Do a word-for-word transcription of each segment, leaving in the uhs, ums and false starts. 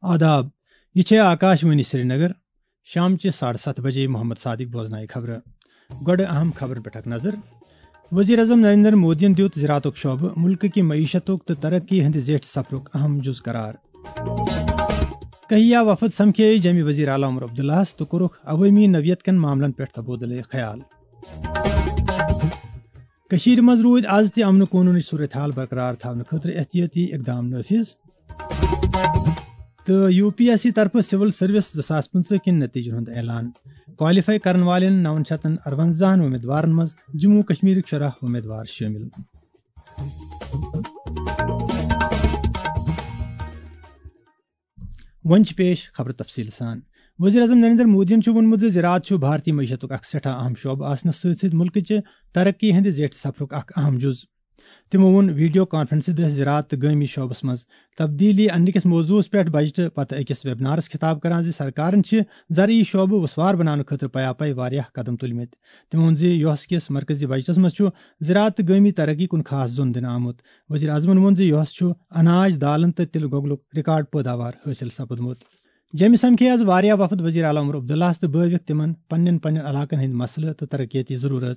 آداب، یہِ چھےٚ آکاش وانی سرینگر۔ شام چہِ ساڑٕ ستھ بجے محمد صادق بوزنایہِ خبرٕ۔ گۄڈٕ اہم خبرن پٮ۪ٹھ اکھ نظر۔ وزیر اعظم نریندر مودیَن دیُت زراعتُک شعبہٕ مُلکہٕ کہِ معیشتُک تہٕ ترقی ہٕنٛدِ زیٹھِ سفرُک اہم جُز قرار۔ کہیا وفد سمکھے جیٚمہِ وزیر اعلیٰ عمر عبداللہس تہٕ کوٚرُکھ عوٲمی نوعیت کٮ۪ن معاملن پٮ۪ٹھ تبادلہٕ خیال۔ کٔشیٖرِ منٛز روٗدۍ از تہِ امن قونوٗنٕچ صورتحال برقرار تھاونہٕ خٲطرٕ احتیاطی اقدام نٲفِذ۔ تہٕ یو پی ایس سی طرفہٕ سول سروس زٕ ساس پٕنٛژٕہ کٮ۪ن نتیجن ہُنٛد اعلان۔ کوالیفائی کرن والٮ۪ن نَوَن شیٚتَن اَرونٛزاہَن امیدوارن منٛز جموں و کشمیرٕکۍ شُراہ امیدوار شٲمِل۔ وۄنۍ چھِ پیش خبرٕ تفصیٖل سان۔ وزیر اعظم نریندر مودیَن چھُ ووٚنمُت زِ زراعت چھُ بھارتی معیشتُک اکھ سٮ۪ٹھاہ اہم شعبہٕ آسنَس سۭتۍ سۭتۍ مُلکٕچہِ ترقی ہٕنٛدِ زیٹھِ سفرُک اکھ اہم جُز۔ تِمو ووٚن ویڈیو کانفرنسہِ دٔسۍ زراعت تہٕ گٲمی شعبس منٛز تبدیلی اننہٕ کِس موضوعس پٮ۪ٹھ بجٹہٕ پتہٕ أکِس ویبنارس خطاب کران زِ سرکارن چھِ زرعی شعبہٕ وُسوار بناونہٕ خٲطرٕ پیا پے واریاہ قدم تُلمٕتۍ۔ تِمو ووٚن زِ یُس کِس مرکزی بجٹس منٛز چھُ زراعت تہٕ گٲمی ترقی کُن خاص زوٚن دِنہٕ آمُت۔ وزیر اعظمن ووٚن زِ یُس چھُ اناج، دالن تہٕ تِلہٕ گۄگلُک ریکارڈ پٲداوار حٲصِل سپُدمُت۔ جیٚمہِ سمکھے از واریاہ وفد وزیر اعلیٰ عمر عبداللہس تہٕ بٲوِکھ تِمن پننٮ۪ن پننٮ۪ن علاقن ہٕنٛدۍ مسلہٕ تہٕ ترقیتی ضروٗرت۔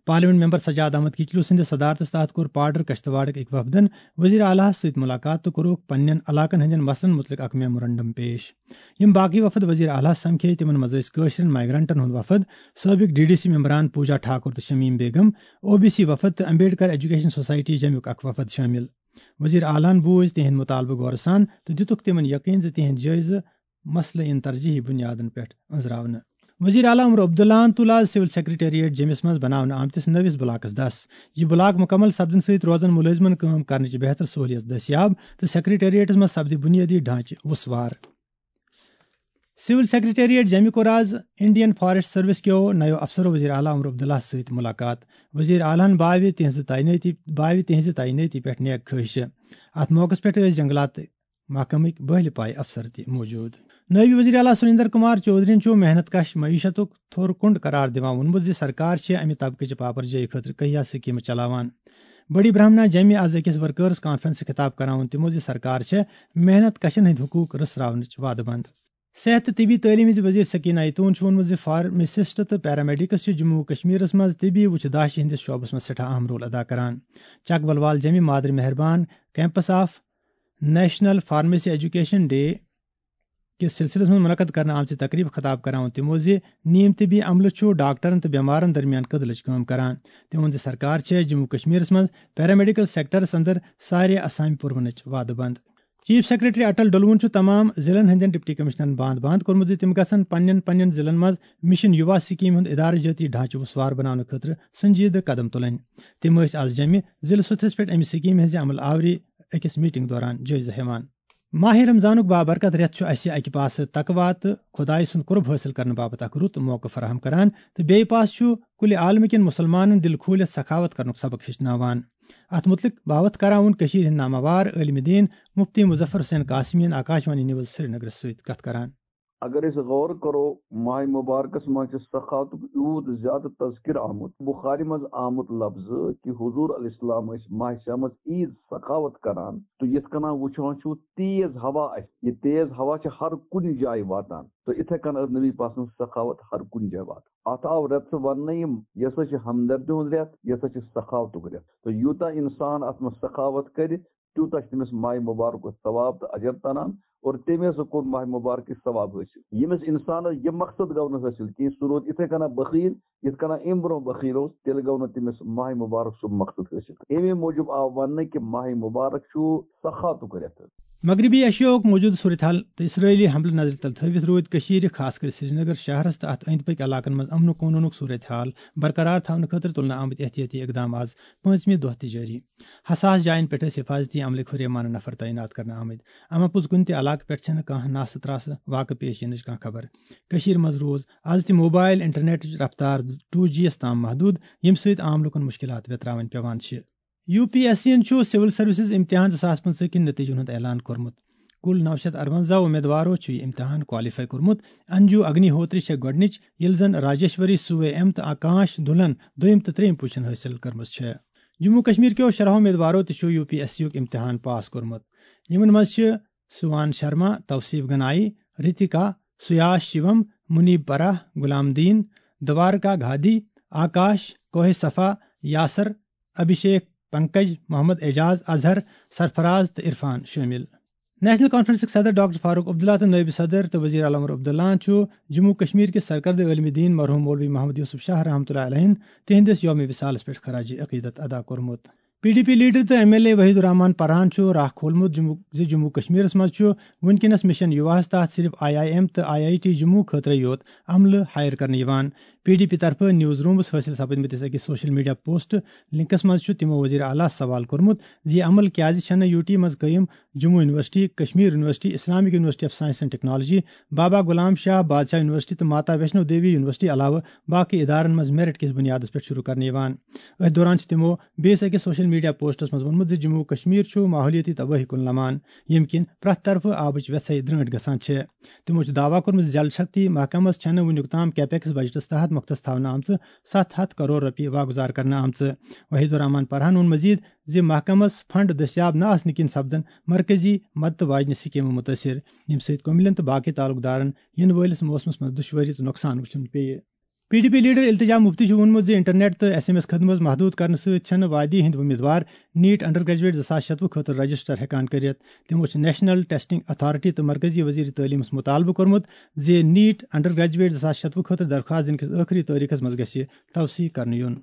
پارلیمنٹ ممبر سجاد احمد کچلو سٕنٛدِ صدارتس تحت کوٚر پاڈر کشتواڑٕکۍ أکۍ وفدن وزیر اعلیٰ ہس سۭتۍ ملاقات تہٕ کوٚرُکھ پننٮ۪ن علاقن ہٕنٛدٮ۪ن مسلن مُتعلق اکھ میمورنڈم پیش۔ یِم باقٕے وفد وزیر اعلیٰ ہس سمکھے، تِمن منٛز ٲسۍ کٲشرٮ۪ن مائیگرنٹن ہُنٛد وفد، سٲبق ڈی ڈی سی ممبران پوجا ٹھاکر تہٕ شمیم بیگم، او بی سی وفد تہٕ امبیڈکر ایجوکیشن سوسائٹی جیٚمیُک اکھ وفد شٲمِل۔ وزیر اعلیٰ ہن بوٗز تِہنٛدۍ مُطالبہٕ غورٕ سان تہٕ دِتُکھ تِمن یقین زِ تِہنٛدۍ جٲیزٕ مسلہٕ یِن ترجیحی بُنیادن پٮ۪ٹھ أنٛزراونہٕ۔ وزیر اعلیٰ عمر عبداللہن تُل آز سول سیکرٹریٹ جیٚمِس منٛز بناونہٕ آمتِس نٔوِس بلاکس دس۔ یہِ بلاک مُکمل سپدنہٕ سۭتۍ روزن مُلٲزمن کٲم کرنٕچ بہتر سہولیت دٔستیاب تہٕ سیکرٹریٹس منٛز سپدِ بُنیٲدی ڈھانچہٕ وُسوار۔ سول سیکرٹریٹ جیٚمہِ کوٚر آز انڈین فاریسٹ سروس کیو نَیو افسرو وزیر اعلیٰ عمر عبداللہ سۭتۍ مُلاقات۔ وزیر اعلیٰ ہن باوِ تِہنٛزِ تعینٲتی، باوِ تِہنٛزِ تعینٲتی پٮ۪ٹھ نیک خٲہِشہٕ۔ اتھ موقعس پٮ۪ٹھ ٲسۍ جنگلات محکمٕکۍ بٔہلہِ پایہِ افسر تہِ موجود۔ نٲیِب وزیر اعلیٰ سریندر کمار چودھرین چھُ محنت کش معیشتُک تھوٚر کُنڈ قرار دِوان ووٚنمُت زِ سرکار چھِ امہِ طبقہٕ چہِ پاپر جٲیی خٲطرٕ کہیا سکیمہٕ چلاوان۔ بڑی برہمنا جیٚمہِ از أکِس ورکرز کانفرنس خطاب کران ووٚن تِمو زِ سرکار چھےٚ محنت کشن ہٕنٛدۍ حقوق رٔژھراونٕچ وعدٕ بنٛد۔ صحت تہٕ طبی تعلیٖم ہٕنٛز وزیر سکینہ ایتون چھُ ووٚنمُت زِ فارماسسٹ تہٕ پیرامیڈکس چھِ جموں و کشمیرس منٛز طبی وُچھِ داشہِ ہٕنٛدِس شعبس منٛز سٮ۪ٹھاہ اہم رول ادا کران۔ چک بلوال جیٚمہِ مادر مہربان campus of National Pharmacy Education Day کِس سلسلس منٛز منعقد کرنہٕ آمژِ تقریبہِ خطاب کران ووٚن تِمو زِ نیم طبی عملہٕ چھُ ڈاکٹرن تہٕ بٮ۪مارن درمیان کٔدلٕچ کٲم کران۔ تٔمۍ ووٚن زِ سرکار چھےٚ جموں و کشمیرس منٛز پیرامیڈیکل سیکٹرس اندر سارے اسامہِ پُرونٕچ وعدٕ بنٛد۔ چیف سیکرٹری اٹل ڈلوُن چھُ تمام ضلعن ہٕنٛدٮ۪ن ڈپٹی کمشنرن باند باند کوٚرمُت زِ تِم گژھن پننٮ۪ن پننٮ۪ن ضلعن منٛز مشن یُوا سکیمہِ ہُنٛد ادارٕ جٲتی ڈھانچہٕ وُسوار بناونہٕ خٲطرٕ سنجیدٕ قدم تُلٕنۍ۔ تِم ٲسۍ از جیٚمہِ ضلعہٕ سطحس پٮ۪ٹھ امہِ سکیمہِ ہٕنٛزِ عمل آوری أکِس میٹنگ دوران جٲیزٕ ہٮ۪وان۔ ماہِ رمضانُک بابرکت رٮ۪تھ چھُ اسہِ اکہِ پاسہٕ تقویٰ تہٕ خۄدایہِ سُنٛد قرب حٲصِل کرنہٕ باپتھ اکھ رُت موقعہٕ فراہم کران تہٕ بیٚیہِ پاسہٕ چھُ کُلہِ عالمہٕ کٮ۪ن مُسلمانن دِل کھوٗلِتھ سخاوت کرنُک سبق ہیٚچھناوان۔ اتھ مُتعلق باوتھ کران ووٚن کٔشیٖرِ ہٕنٛدۍ ناماوار عٲلمِ دیٖن مفتی مظفر حسین قاسمی یَن آکاشوانی نیوز سرینگرس سۭتۍ کتھ کران۔ اگر أسۍ غور کرو، ماہِ مبارکس منٛز چھِ سخاوتُک یوٗت زیادٕ تذکرٕ آمُت۔ بخاری منٛز آمُت لفظ کہِ حضور علیہ السلام ٲسۍ ماہِ شاہ منٛز عیٖد سخاوت کران، تہٕ یِتھ کٔنۍ وٕچھان چھُو تیز ہوا آسہِ، یہِ تیز ہوا چھِ ہر کُنہِ جایہِ واتان، تہٕ یِتھے کٔنۍ ٲس نبی پاک سٕنٛز سخاوت ہر کُنہِ جایہِ واتان۔ اتھ آو رٮ۪تھ سُہ وننہٕ، یِم، یہِ ہسا چھِ ہمدردی ہُنٛد رٮ۪تھ، یہِ ہسا چھِ سخاوتُک رٮ۪تھ، تہٕ یوٗتاہ انسان اتھ منٛز سخاوت کرِ، تیوٗتاہ چھُ تٔمِس ماہِ مبارکُک ثواب تہٕ اجر تران، اور تٔمۍ ہسا کوٚر ماہِ مبارکٕچ ثواب حٲصِل۔ ییٚمِس انسانس یہِ مقصد گوٚو نہٕ حٲصِل کینٛہہ، سُہ روٗد یِتھے کٔنۍ بخیل، یِتھ کٔنۍ امہِ برونٛہہ بخیل اوس، تیٚلہِ گوٚو نہٕ تٔمِس ماہِ مبارک سُہ مقصد حٲصِل۔ اَمے موٗجوٗب آو وننہٕ کہِ ماہِ مبارک چھُ سخاوتُک رٮ۪تھ۔ مغربی ایشیاہُک موجودٕ صورتحال تہٕ اسرٲیلی حملہٕ نظرِ تل تھٲوِتھ روٗدۍ کٔشیٖرِ، خاص کر سرینگر شہرس تہٕ اتھ أنٛدۍ پٔکۍ علاقن منٛز امن و قونوٗنُک صورتحال برقرار تھاونہٕ خٲطرٕ تُلنہٕ آمٕتۍ احتیاطی اقدام آز پٲنٛژمہِ دۄہ تہِ جٲری۔ حساس جاین پٮ۪ٹھ ٲسۍ حفاظتی عملٕکۍ ہُریمانہٕ نفر تعینات کرنہٕ آمٕتۍ۔ اما پوٚز کُنہِ تہِ علاقہٕ پٮ۪ٹھ چھَنہٕ کانٛہہ ناسہٕ ترٛاسہٕ واقعہٕ پیش یِنٕچ کانٛہہ خبر۔ کٔشیٖرِ منٛز روٗز از تہِ موبایل انٹرنیٹٕچ رفتار ٹوٗ جی یَس تام محدوٗد، ییٚمہِ سۭتۍ عام لوٗکَن مُشکِلات ویتراوٕنۍ پٮ۪وان چھِ۔ یو پی ایس سی یَن چھُ سول سروسز امتحان زٕ ساس پٕنٛژٕہ کِن نتیجن ہُنٛد اعلان کوٚرمُت۔ کُل نَو شیٚتھ اَرونٛزاہ امیدوارو چھُ یہِ امتحان کوالیفائی کوٚرمُت۔ انجو اگنی ہوتری چھےٚ گۄڈٕنِچ، ییٚلہِ زن راجیشوری سوے ایم تہٕ آکاش دھلن دوٚیِم تہٕ ترٛیٚیِم پوزیشن حٲصِل کٔرمٕژ چھےٚ۔ جموں و کشمیر کیو شُراہو امیدوارو تہِ چھُ یو پی ایس سی یُک امتحان پاس کوٚرمُت۔ یِمن منٛز چھِ سوان شرما، توصیف گنائی، رتکا، سیاش شیوم، منیب پرہ، غلام دین، دوارکا گھادی، آکاش، کوہ صفا، یاسر، ابھیشیک، پنکج، محمد اعجاز، اظہر، سرفراز تہٕ عرفان شٲمِل۔ نیشنل کانفرنسٕکۍ صدر ڈاکٹر فاروق عبداللہ تہٕ نٲیِب صدر تہٕ وزیر علامہ عبداللہ چھُ جموں کشمیر کِس سرکردٕ عٲلمِ دیٖن مرحوم مولوی محمد یوسف شاہ رحمتہ اللہ علیہ تِہنٛدِس یومِ وصالس پٮ۪ٹھ خراج عقیدت ادا کوٚرمُت۔ پی ڈی پی لیڈر تہٕ ایم ایل اے وحید الرحمان پرہان چھُ راہ کھولمُت جموں، زِ جموں کشمیرس منٛز چھُ وُنکیٚنس مشن یواہس تحت صرف آئی آئی ایم تہٕ آئی آئی ٹی جموں خٲطرٕ یوت عملہٕ ہائر کرنہٕ یِوان۔ پی ڈی پی طرفہٕ نیوز رومس حٲصِل سپدمٕتِس أکِس سوشل میڈیا پوسٹ لنکس منٛز چھُ تِمو وزیر اعلیٰ سوال کوٚرمُت زِ یہِ عمل کیازِ چھنہٕ یو ٹی منٛز قٲیِم Jammu university, Kashmir university, Islamic university of science and technology, Baba Ghulam Shah Badshah university تہٕ ماتا ویشنو دیوی یونیورسٹی علاوٕ باقی ادارن منٛز میرٹ کِس بنیادس پٮ۪ٹھ شروع کرنہٕ یِوان۔ أتھۍ دوران چھِ تِمو بیٚیِس أکِس سوشل میڈیا پوسٹس منٛز ووٚنمُت زِ جموں و کشمیر چھُ ماحولیٲتی تبٲہی کُن لمان، ییٚمہِ کِنۍ پرٛٮ۪تھ طرفہٕ آبٕچ وٮ۪ژھے درٛٲنٛٹھ گژھان چھِ۔ تِمو چھُ دعویٰ کوٚرمُت زِ جل شکتی محکمس چھَنہٕ وُنیُک تام کیپیکس بجٹس تحت مۄختس تھاونہٕ آمژٕ ستھ ہتھ کرور رۄپیہِ واگُزار کرنہٕ آمژٕ۔ وحید الرحمان پرہان ووٚن مزید زِ محکمس فنڈ دٔستیاب نہٕ آسنہٕ کِنۍ سپدن مرکزی مدتہٕ واجنہِ سکیمہٕ مُتٲثر، ییٚمہِ سۭتۍ کُمِلین تہٕ باقی تعلق دارن یِنہٕ وٲلِس موسمس منٛز دُشوٲری تہٕ نۄقصان وٕچھُن پیٚیہِ۔ پی ڈی پی لیڈر التجا مفتی چھُ ووٚنمُت زِ انٹرنیٹ تہٕ ایس ایم ایس خدمت محدود کرنہٕ سۭتۍ چھنہٕ وادی ہٕنٛدۍ امیدوار نیٹ انڈر گریجویٹ زٕ ساس شتوُہ خٲطرٕ رجسٹر ہٮ۪کان کٔرِتھ۔ تِمو چھِ نیشنل ٹیسٹنگ اتھارٹی تہٕ مرکزی وزیر تعلیمس مطالبہٕ کوٚرمُت زِ نیٹ انڈر گریجویٹ زٕ ساس شتوُہ خٲطرٕ درخواست دِنہٕ کِس ٲخری تٲریخس منٛز گژھِ توسیع کرنہٕ یُن۔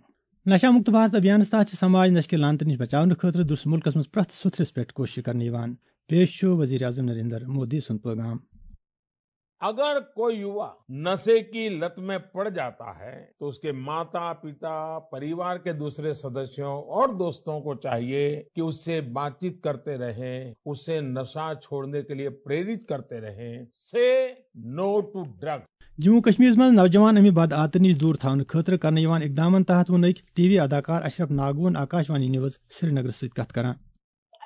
نشہ مکت بھارت ابھیانس تحت چھِ سماج نشہٕ کہِ لعنتہٕ نِش بچاونہٕ خٲطرٕ درس ملکس منٛز پرٛٮ۪تھ سُتھرِس پٮ۪ٹھ کوٗشش کرنہٕ یِوان۔ پیش چھُ وزیر اعظم نریندر مودی سُنٛد پیغام۔ अगर कोई युवा नशे की लत में पड़ जाता है, तो उसके माता, पिता, परिवार के दूसरे सदस्यों और दोस्तों को चाहिए कि उससे बातचीत करते रहें, उसे नशा छोड़ने के लिए प्रेरित करते रहें। Say no to drug. Jammu کشمیرس منٛز نوجوان امہِ بد عادتہٕ نِش دوٗر تھاونہٕ خٲطرٕ کرنہٕ یِوان اقدامن تحت ووٚن أکۍ ٹی وی اداکار اشرف ناگون آکاش وانی نیوز سرینگرس سۭتۍ کتھ کران۔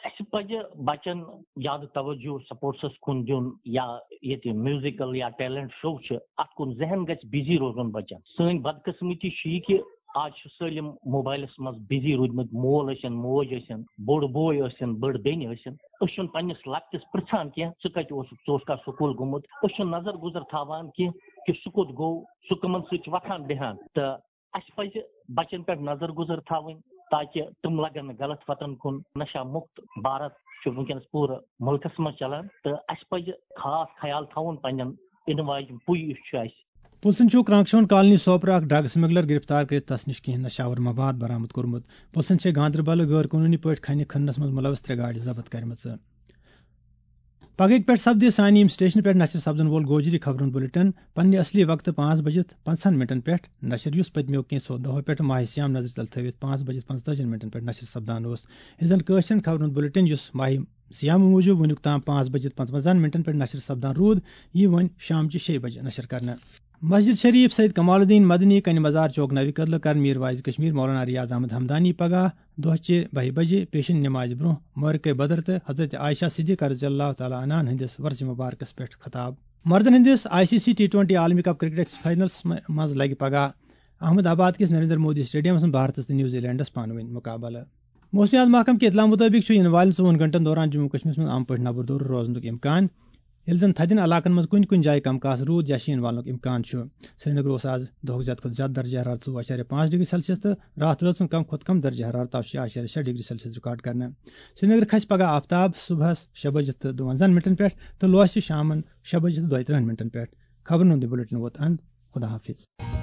اسہِ پزِ بچن زیادٕ توجہ سپورٹسس کُن دیُن، یا ییٚتہِ میوزیکل یا ٹیلنٹ شو چھِ، اتھ کُن ذہن گژھِ بزی روزُن بچن۔ سٲنۍ بدقسمتی چھِ یہِ کہِ آز چھِ سٲلِم موبایلس منٛز بزی روٗدمٕتۍ، مول ٲسِن، موج ٲسِن، بوٚڑ بوے ٲسِن، بٔڑ بیٚنہِ ٲسِن۔ أسۍ چھِنہٕ پننِس لۄکٹِس پرژھان کینٛہہ، ژٕ کتہِ اوسُکھ، ژٕ اوسکھا سکوٗل گوٚمُت؟ أسۍ چھِنہٕ نظر گُزر تھاوان کینٛہہ کہِ سُہ کوٚت گوٚو، سُہ کٕمن سۭتۍ چھُ وۄتھان بیٚہان۔ تہٕ اسہِ پزِ بچن پٮ۪ٹھ نظر گُزر تھاوٕنۍ، تاکہِ تِم لگن نہٕ غلط وتن کُن۔ نشہ مُکت بھارت چھُ وٕنکیٚنس پوٗرٕ مُلکس منٛز چلان، تہٕ اسہِ پزِ خاص خیال تھاوُن پننٮ۪ن یِنہٕ واجٮ۪ن پُے یُس چھُ اسہِ۔ پُلسن چھُ کرانکشون کالنی سوپرٕ اکھ ڈرگ سمگلر گرفتار کٔرِتھ تس نِش کینٛہہ نشہ آور مواد برآمد کوٚرمُت۔ پُلسن چھِ گاندربلہٕ غٲر قونوٗنی پٲٹھۍ کھنہِ کھننس منٛز ملوث ترٛےٚ گاڑِ ضبط کٔرمٕژ۔ پگہٕکۍ پٮ۪ٹھ سپدِ سانہِ ییٚمہِ سٹیشنہٕ پٮ۪ٹھ نشر سپدن وول گوجری خبرن بلیٹن پننہِ اصلی وقتہٕ پانٛژھ بجِتھ پنٛژاہن منٹن پٮ۪ٹھ نشر، یُس پٔتمیو کینٛژھو دۄہو پٮ۪ٹھ ماہِ صیام نظرِ تل تھٲوِتھ پانٛژھ بجِتھ پنٛژتٲجِہن منٹن پٮ۪ٹھ نشر سپدان اوس۔ ییٚلہِ زن کٲشرٮ۪ن خبرن بلیٹن، یُس ماہِ صیام موٗجوٗب وُنیُک تام پانٛژھ بجِتھ پنٛژونٛزاہن منٹن پٮ۪ٹھ نشر سپدان روٗد، یہِ وۄنۍ شامچہِ شیٚیہِ بجہِ نشر کرنہٕ۔ مسجد شریف سید کمال الدین مدنی کنہِ مزار چوک نوِ کدلہٕ کرن میر واعظ کشمیر مولانا ریاض احمد ہمدانی پگاہ دۄہ چہِ بَہہِ بجہِ پیشن نمازِ برونٛہہ مورکے بدر تہٕ حضرت عائشہ صدیقہ رضی اللہ تعالیٰ عنہن ہٕنٛدِس ورثِ مبارکس پٮ۪ٹھ خطاب۔ مردن ہٕنٛدِس I C C T twenty عالمی کپ کرکٹس فائنلس م-، منٛز لگہِ پگاہ احمد آباد کِس نریندر مودی سٹیڈیمس منٛز بھارتس تہٕ نیوزی لینڈس پانہٕ ؤنۍ مقابلہٕ۔ موسمیات محکمہٕ کہِ اطلاع مُطٲبِق چھُ یِنہٕ والٮ۪ن ژوٚوُہن گھنٹن دوران جموں و کشمیرس منٛز عام پٲٹھۍ نَبُر دورٕ روزنُک امکان، ییٚلہِ زن تھدٮ۪ن علاقن منٛز کُنہِ کُنہِ جایہِ کم کاس روٗد یا شیٖن والنُک امکان چھُ۔ سرینگر اوس آز دۄہُک زیادٕ کھۄتہٕ زیادٕ درجہ حرارت ژوٚوُہ اعشاریہ پانٛژھ ڈگری سیلسیس تہٕ راتھ رٲژ ہُنٛد کم کھۄتہٕ کم درجہ حرارت آو شےٚ اعشاریہ شےٚ ڈگری سیلسیس ریکارڈ کرنہٕ۔ سرینگر کھسہِ پگہہ آفتاب صبحس شےٚ بجہِ تہٕ دُوَنزاہن منٹن پٮ۪ٹھ تہٕ لوسہِ شامن شےٚ بجہِ تہٕ دۄیہِ ترٕٛہن منٹن پٮ۪ٹھ۔ خبرن ہُنٛد یہِ بلیٹن ووت اند۔ خدا حافظ۔